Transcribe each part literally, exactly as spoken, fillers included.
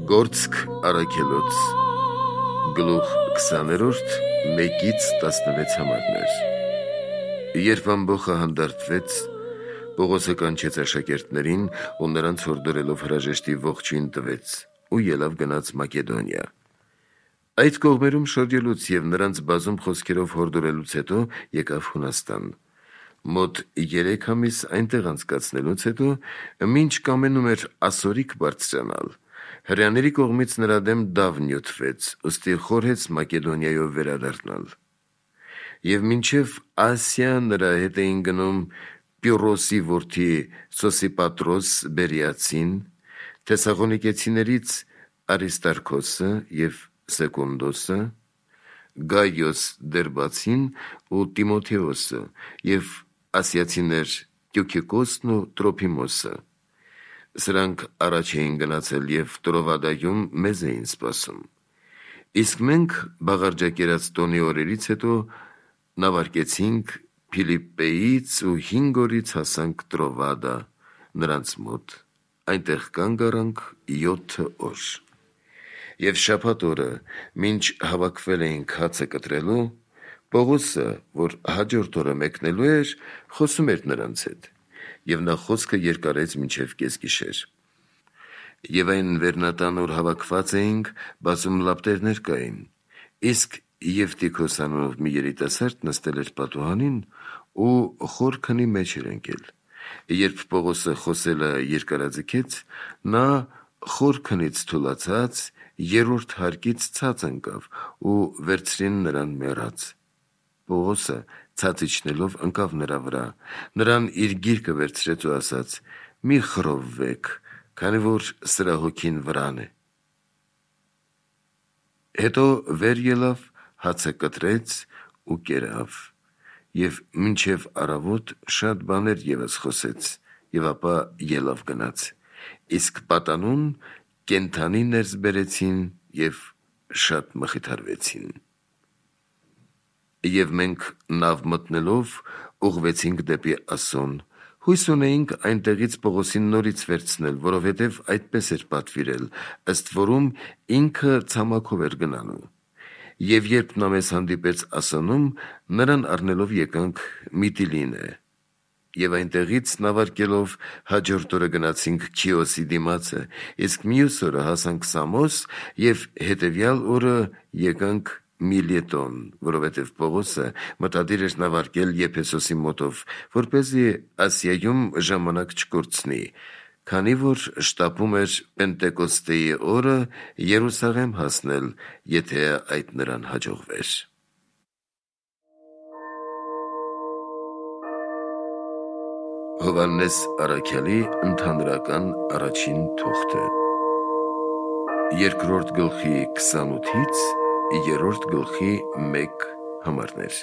Գործք առաքելոց գլուխ քսաներորդ մեկից տասնվեց համարներ։ Երբ ամբոխը հանդարտվեց, Պողոսը կանչեց աշակերտներին ու նրանց հորդորելով հրաժեշտի ողջույն տվեց ու ելավ գնաց Մակեդոնիա։ Այդ կողմերում շրջելուց և նրանց բազում խոսքերով հորդորելուց հետո եկավ Հունաստան։ Մոտ երեք ամիս այնտեղ անցկացնելուց հետո, մինչ կամենում էր ասորիք բարձրանալ, հրեաների կողմից նրա դեմ դավ նյութվեց, ուստի խորհեց Մակեդոնիայով վերադառնալ։ Եվ մինչև Ասիա նրա հետ էին գնում Պյուրոսի որդի Սոսիպատրոս Բերիացին, Թեսաղոնիկեցիներից Արիստարքոսը և Սեկունդոսը, Գայոս Դերբացին ու Տիմոթեոսը և ասիացիներ Տյուքիկոսն ու Տրոփիմոսը։ Սրանք առաջ էին գնացել և Տրովադայում մեզ էին սպասում։ Իսկ մենք բաղարջակերած տոնի օրերից հետո նավարկեցինք Փիլիպպեից ու հինգ օրից հասանք Տրովադա նրանց մոտ, այնտեղ կանգ առանք յոթ օր։ Եվ շաբաթ օրը, մինչ հավաքվել էինք հացը կտրելու, Պողոսը, որ հաջորդ օրը մեկնելու էր, խոսում էր նրանց հետ, և նա խոսքը երկարեց մինչև կեսգիշեր։ Եվ այն վերնատան օր հավաքված էինք, բազում լապտերներ կային, իսկ Եվտիքոս անունով մի երիտասարդ նստել էր պատուհանին ու խոր քնի մեջ էր ընկել։ Երբ Պողոսը խոսելը երկարաձգեց, նա խոր քնից թուլացած երրորդ հարկից ցած ընկավ ու վերցրին նրան մեռած։ Պողոսը ցած իջնելով ընկավ նրա վրա, նրան իր գիրկը վերցրեց ու ասաց. «Մի խռովվեք, քանի որ սրա հոգին վրան է»։ Հետո վեր ելավ, հացը կտրեց ու կերավ, և մինչև առավոտ շատ բաներ ևս խոսեց, և ապա ելավ գնաց, իսկ պատանուն կենդանի ներս բերեցին և շատ մխիթարվեցին։ Եվ մենք նավ մտնելով ուղղվեցինք դեպի Ասոն, հույս ունեինք այնտեղից Պողոսին նորից վերցնել, որովհետև այդպես էր պատվիրել, ըստ որում ինքը ցամաքով էր գնալու։ Եվ երբ նա մեզ հանդիպեց Ասոնում, նրան առնելով եկանք Միտիլինե։ Եվ այնտեղից նավարկելով հաջորդ օրը գնացինք Քիոսի դիմացը, իսկ մյուս օրը հասանք Սամոս և հետևյալ օրը եկանք Միլետոն, որովհետև Պողոսը մտադիր էր նավարկել Եփեսոսի մոտով, որպեսզի Ասիայում ժամանակ չկորցնի, քանի որ շտապում էր Պենտեկոստեի օրը Երուսաղեմ հասնել, եթե այդ նրան հաջողվեր։ Հովհաննես առաքյալի ընդհանրական առաջին թուղթը երկրորդ գլխի քսանութից երրորդ գլխի մեկ համարներ։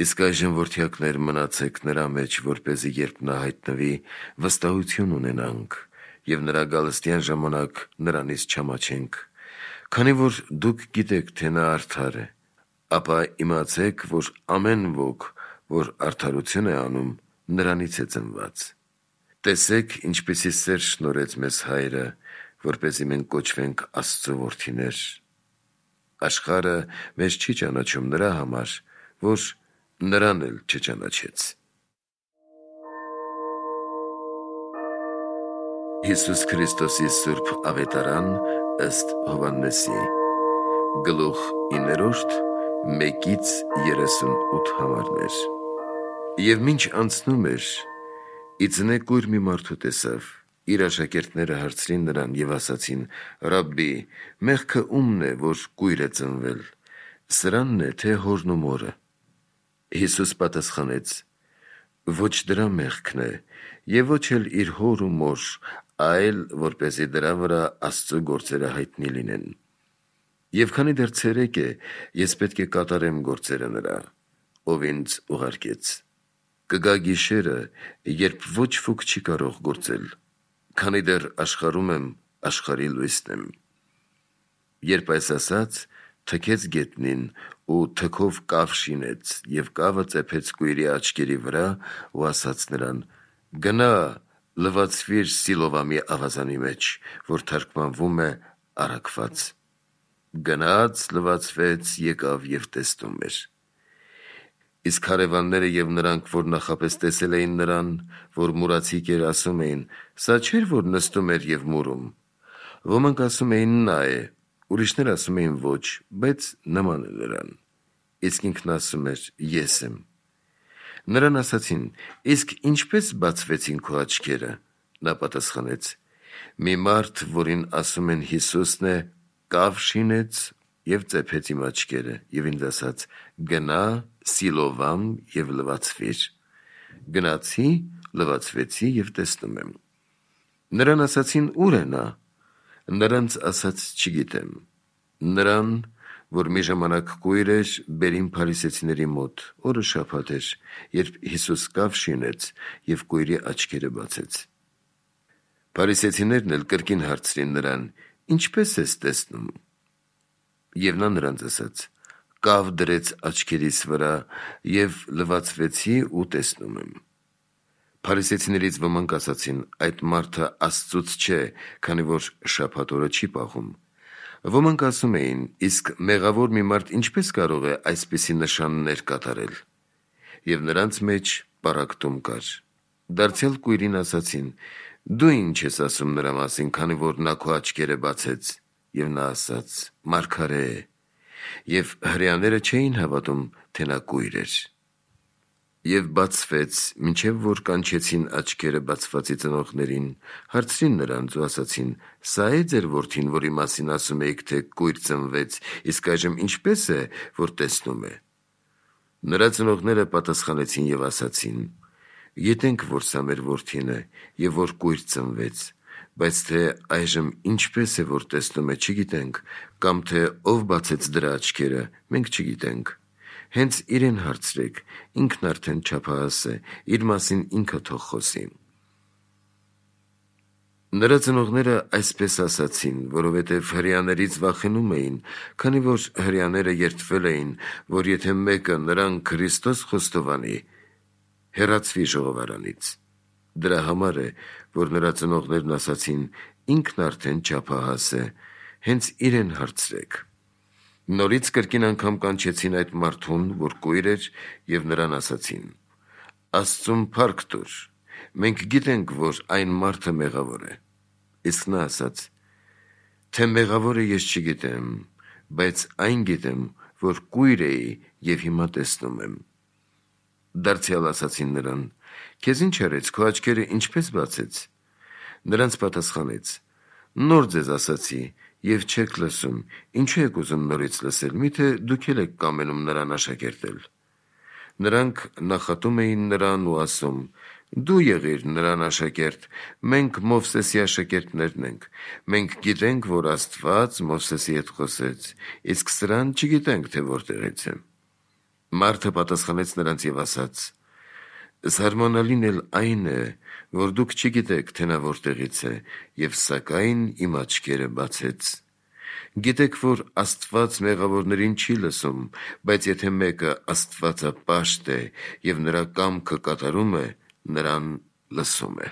Իսկ այժմ որդյակներ մնացեք նրա մեջ, որպեսզի երբ նա հայտնվի, վստահություն ունենանք և նրա գալստյան ժամանակ նրանից չամաչենք, քանի որ դուք գիտեք, թե նա արդար է, ապա իմացեք, որ ամեն ոք, որ արդարություն է անում, նրանից է ծնված։ Տեսեք, ինչպիսի սեր շնորհեց մեզ Հայրը, որպեսզի մենք կոչվենք Աստծու որդիներ։ Աշխարհը մեզ չի ճանաչում նրա համար, որ նրան էլ չճանաչեց։ Հիսուս Քրիստոսի սուրբ ավետարան ըստ Հովհաննեսի, գլուխ իններորդ, մեկից երեսունութ համարներ։ Եվ մինչ անցնում էր, ի ձնե կույր մի մարդու տեսավ, իր աշակերտները հարցրին նրան և ասացին. «Ռաբբի, մեղքը ումն է, որ կույր է ծնվել, սրանն է, թե հորն ու մորը»։ Հիսուս պատասխանեց. «Ոչ դրա մեղքն է, և ոչ էլ իր հոր ու մոր, այլ որպեսզի դրա վրա Աստծու գործերը հայտնի լինեն։ Եվ քանի դեռ ցերեկ է, ես պետք է կատարեմ գործերը նրա, ով ինձ ուղարկեց։ Կգա գիշերը, երբ ոչ ոք չի կարող գործել, քանի դեռ աշխարհում եմ, աշխարհի լույսն եմ»։ Երբ այս ասաց, թքեց գետնին ու թքով կավ շինեց և կավը ծեփեց կույրի աչքերի վրա ու ասաց նրան. «Գնա, լվացվիր Սիլովամի ավազանի մեջ, որ թարգմանվում է առաքված։ Գնաց, լվացվեց, եկավ և տեսնում էր։ Իսկ հարևանները և նրանք, որ նախապես տեսել էին նրան, որ մուրացիկ էր, ասում էին. «Սա չէր, որ նստում էր և մուրում»։ Ոմանք ասում էին. «Նա է», ուրիշներ ասում էին. «Ոչ, բայց նման է նրան»։ Իսկ ինքն ասում էր. «Ես եմ»։ Նրան ասացին. «Իսկ ինչպե՞ս բացվեցին քո աչքերը»։ Նա պատասխանեց. «Մի մարդ, որին ասում են Հիսուսն է, կավ շինեց և ծեփեց իմ աչքերը և ինձ ասաց. «Գնա, Սիլովամ և լվացվիր»։ Գնացի, լվացվեցի և տեսնում եմ»։ Նրան ասացին. «Ո՞ւր է նա»։ Նրանց ասաց. «Չգիտեմ»։ Նրան, որ մի ժամանակ կույր էր, բերին փարիսեցիների մոտ, օրը շաբաթ էր, երբ Հիսուս կավ շինեց և կույրի աչքերը բացեց։ Փարիսեցիներն էլ կրկին հարցրին նրան. «Ինչպե՞ս ես տեսնում»։ Եվ նա նրանց ասաց. «Կավ դրեց աչքերիս վրա և լվացվեցի ու տեսնում եմ»։ Փարիսեցիներից ոմանք ասացին. «Այդ մարդը Աստծուց չէ, քանի որ շաբաթ օրը չի պահում»։ Ոմանք ասում էին. «Իսկ մեղավոր մի մարդ ինչպե՞ս կարող է այսպիսի նշաններ կատարել»։ Եվ նրանց մեջ պառակտում կար։ Դարձյալ կույրին ասացին. «Դու ի՞նչ ես ասում նրա մասին, քանի որ նա քո աչքերը բացեց»։ Եվ նա ասաց. «Մարգարե է»։ Եվ հրեաները չէին հավատում, թե նա կույր էր։ Եվ բացվեց, մինչև որ կանչեցին աչքերը բացվածի ծնողներին, հարցրին նրանց ու ասացին. «Սա՞ է ձեր որդին, որի մասին ասում էիք, թե կույր ծնվեց, իսկ այժմ ինչպե՞ս է, որ տեսնում է»։ Նրա ծնողները պատասխանեցին և ասացին. «Գիտենք, որ սա մեր որդին է և որ կույր ծնվեց, բայց թե այժմ ինչպե՞ս է, որ տեսնում է, չգիտենք, կամ թե ով բացեց դրա աչքերը, մենք չգիտենք։ Հենց իրեն հարցրեք, ինքն արդեն չափահաս է, իր մասին ինքը թող խոսի»։ Նրա ծնողները այսպես ասացին, որովհետև հրեաներից վախենում էին, քանի որ հրեաները երդվել էին, որ եթե մեկը նրան Քրիստոս խոստովանի, հեռացվի ժողովարանից։ Դրա համար է, որ նրա ծնողներն ասացին. «Ինքն արդեն չափահաս է, հենց իրեն հարցրեք»։ Նորից կրկին անգամ կանչեցին այդ մարդուն, որ կույր էր, և նրան ասացին. «Աստծուն փառք տուր, մենք գիտենք, որ այն մարդը մեղավոր է»։ Իսկ նա ասաց. «Թե մեղավոր է, ես չգիտեմ, բայց այն գիտեմ, որ կույր էի և հիմա տեսնում եմ»։ Դարձյալ ասացին նրան. «Քեզ ինչ արեց, քո աչքերը ինչպե՞ս բացեց»։ Նրանց պատասխանեց. «Նոր ձեզ ասացի և չեք լսում, ինչու եք ուզում նորից լսել, միթե դուք էլ եք կամենում նրան աշակերտել»։ Նրանք նախատում էին նրան ու ասում. «Դու եղիր նրան աշակերտ, մենք Մովսեսի աշակերտներն ենք, մենք գիտենք, որ Աստված Մովսեսի հետ խոսեց, իսկ սրան չգիտենք, թե որտեղից է»։ Մարդը պատասխանեց նրանց և ասաց. «Զարմանալին էլ այն է, որ դուք չգիտեք, թե նա որտեղից է, և սակայն իմ աչքերը բացեց։ Գիտեք, որ Աստված մեղավորներին չի լսում, բայց եթե մեկը աստվածապաշտ է և նրա կամքը կատարում է, նրան լսում է։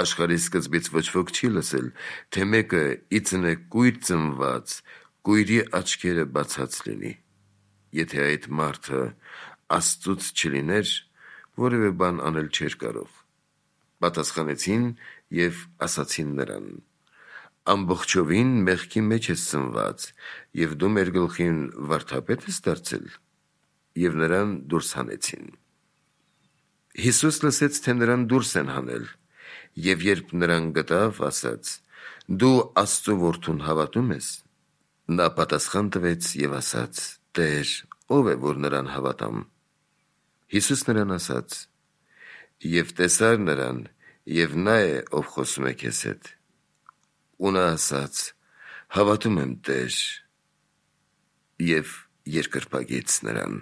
Աշխարհի սկզբից ոչ ոք չի լսել, թե մեկը ի ծնե կույր ծնված, կույրի աչքերը բացած լինի։ Եթե այդ մարդը Աստծուց չլիներ, որևէ բան անել չէր կարող»։ Պատասխանեցին և ասացին նրան. «Ամբողջովին մեղքի մեջ ես ծնված, և դու մեր գլխին վարդապե՞տ ես դարձել»։ Եվ նրան դուրս հանեցին։ Հիսուս լսեց, թե նրան դուրս են հանել, և երբ նրան գտավ, ասաց. «Դու Աստծու որդուն հավատո՞ւմ ես»։ Նա պատասխան տվեց և ասաց. «Տեր, ո՞վ է, որ նրան հավատամ»։ Հիսուս նրան ասաց. «Եվ տեսար նրան, և նա է, ով խոսում է քեզ հետ»։ Ու նա ասաց. «Հավատում եմ, Տեր», և երկրպագեց նրան։